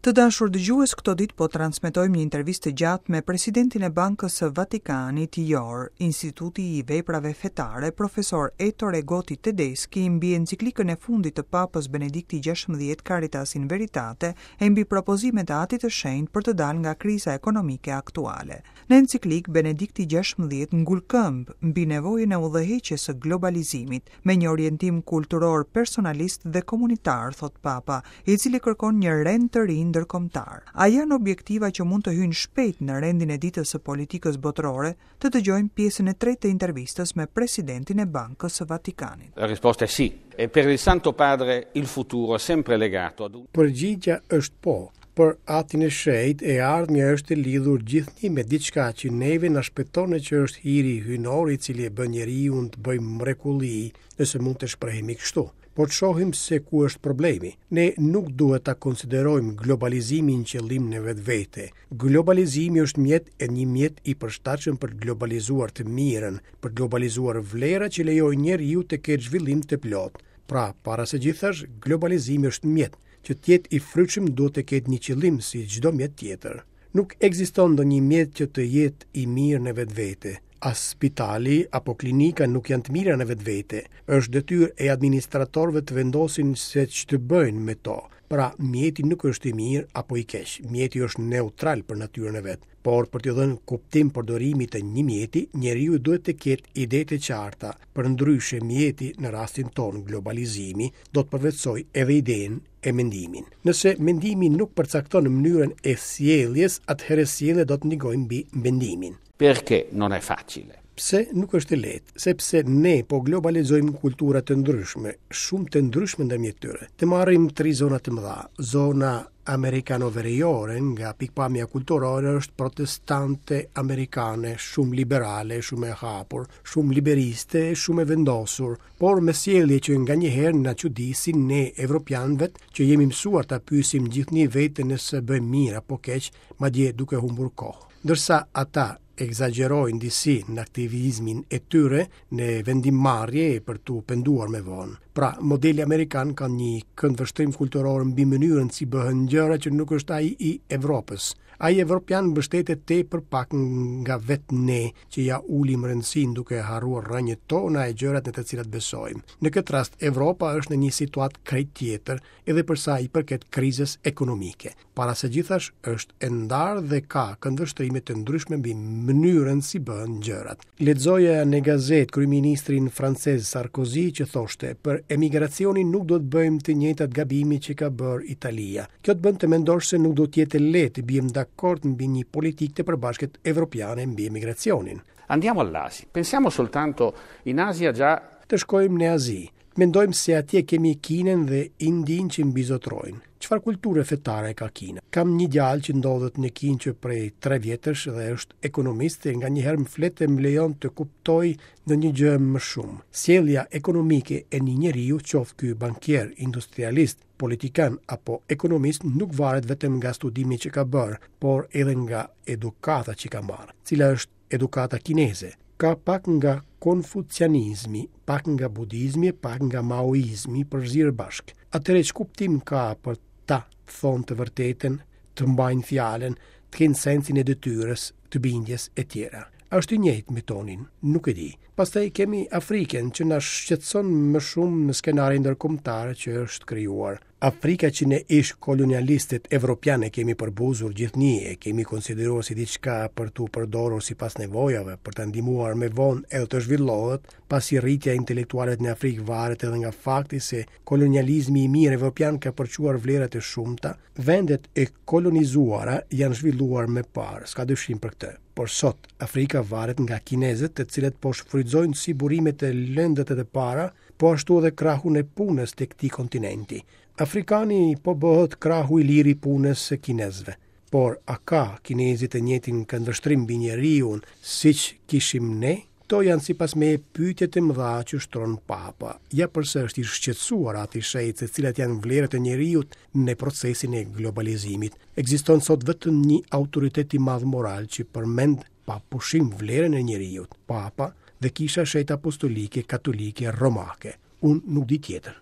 Të dashur dëgjues, këto ditë po transmetojmë një intervistë të gjatë me presidentin e Bankës së Vatikanit, IOR, Instituti i Veprave Fetare, profesor Ettore Gotti Tedeschi mbi enciklikën e fundit të Papës Benedikti XVI Caritas in Veritate e mbi propozimet e Atit të Shenjtë për të dalë nga kriza ekonomike aktuale. Në enciklikë, Benedikti XVI ngul këmbë mbi nevojën e udhëheqjes së globalizimit, me një orientim kulturor personalist dhe komunitar, thotë Papa, i cili kërkon një rend të ri ndërkombëtar. A janë objektiva që mund të hyjnë shpejt në rendin e ditës së politikës botërore? Të dëgjojmë pjesën e tretë të intervistës me presidentin e Bankës së Vatikanit. La risposta è sì. E per il Santo Padre il futuro è sempre legato ad un. Përgjigja është po. Për Atin e Shenjtë, e ardhmja është e lidhur gjithnjë me diçka që neve na shpëton e që është hiri hyjnor i cili e bën njeriun të bëjë mrekulli, nëse mund të shprehemi kështu. Por të shohim se ku është problemi. Ne nuk duhet ta konsiderojmë globalizimin qëllim në vetvete. Globalizimi është mjet e një mjet i përshtatshëm për të globalizuar të mirën, për të globalizuar vlera që lejojnë njeriut të ketë zhvillim të plotë. Pra, para së gjithash, globalizimi është mjet. Që të jetë i frytshëm duhet të ketë një qëllim si çdo mjet tjetër. Nuk ekziston ndonjë mjet që të jetë i mirë në vetvete. As spitali apo klinika nuk janë të mira në vetvete. Është detyrë e administratorëve të vendosin se ç'të bëjnë me to. Pra, mjeti nuk është i mirë apo i keq. Mjeti është neutral për natyrën e vet. Por për t'i dhënë kuptim përdorimit të një mjeti, njeriu duhet të ketë ide të qarta. Përndryshe mjeti, në rastin tonë globalizimi, do të përvetësojë edhe idenë e mendimin. Nëse mendimi nuk përcakton mënyrën e sjelljes, atëherë sjellja do të ndikojë mbi mendimin. Perché non è facile? Pse nuk është e lehtë? Sepse ne po globalizojmë kultura të ndryshme, shumë të ndryshme ndërmjet tyre. Të marrim tri zona të mëdha. Zona amerikano-veriore nga pikëpamja kulturore është protestante amerikane, shumë liberale, shumë e hapur, shumë liberiste, shumë e vendosur, por me sjellje që nganjëherë na çudisin ne evropianëve që jemi mësuar ta pyesim gjithnjë veten nëse bëjmë mirë apo keq, madje duke humbur kohë. Ndërsa ata ekzagjerojnë disi në aktivizmin e tyre në vendimmarrje për t'u penduar më vonë. Pra, modeli amerikan ka një këndvështrim kulturor mbi mënyrën si bëhen gjëra që nuk është ai i Evropës. Ai evropian mbështetet tepër pak nga vetë ne që ia ulim rëndësinë duke harruar rrënjët tona e gjërat në të cilat besojmë. Në këtë rast, Evropa është në një situatë krejt tjetër edhe për sa i përket krizës ekonomike. Para së gjithash është e ndarë dhe ka këndvështrime të ndryshme mbi mënyrën si bëhen gjërat. Lexoja në gazetë kryeministrin francez Sarkozy që thoshte, për emigracionin nuk do të bëjmë të njëjtat gabime që ka bërë Italia. Kjo të bën të mendosh se nuk do të jetë e lehtë të biem dakord mbi një politikë të përbashkët evropiane mbi emigracionin. Andiamo all'Asia. Pensiamo soltanto in Asia già Të shkojmë në Azi. Mendojmë se atje kemi Kinën dhe Indinë që mbizotërojnë. Çfarë kulture fetare ka Kina? Kam një djalë që ndodhet në Kinë që prej 3 vjetësh dhe është ekonomist e nganjëherë më flet e më lejon të kuptoj ndonjë gjë më shumë. Sjellja ekonomike e një njeriu, qoftë ky bankier, industrialist, politikan apo ekonomist, nuk varet vetëm nga studimi që ka bërë, por edhe nga edukata që ka marrë. Cila është edukata kineze. Ka pak nga konfucianizmi, pak nga budizmi, pak nga maoizmi përzier bashkë. Atëherë ç'kuptim ka për ta të thonë të vërtetën, të mbajnë fjalën, të kenë sensin e detyrës, të bindjes e tjera. A është i njëjtë me tonin? Nuk e di. Pastaj kemi Afrikën që na shqetëson më shumë në skenarin ndërkombëtar që është krijuar. Afrika që ne ish kolonialistët evropianë e kemi përbuzur gjithnjë, e kemi konsideruar si diçka për t'u përdorur sipas nevojave, për ta ndihmuar më vonë edhe të zhvillohet, pasi rritja intelektuale në Afrikë varet edhe nga fakti se kolonializmi i mirë evropian ka përçuar vlera të shumta, vendet e kolonizuara janë zhvilluar më parë, s'ka dyshim për këtë. Por sot, Afrika varet nga kinezët, të cilët po shfrytëzojnë si burimet e lëndët e para, po ashtu edhe krahun e punës të këtij kontinenti. Afrikani po bëhet krahu i lirë i punës së kinezëve. Por a ka kinezi të njëjtin këndvështrim mbi njeriun siç kishim ne? Këto janë sipas meje pyetjet e mëdha që shtron Papa. Ja përse është i shqetësuar Ati i Shenjtë se cilat janë vlerat e njeriut në procesin e globalizimit. Ekziston sot vetëm një autoritet i madh moral që përmend pa pushim vlerën e njeriut, Papa dhe Kisha e Shenjtë Apostolike Katolike Romake. Unë nuk di tjetër.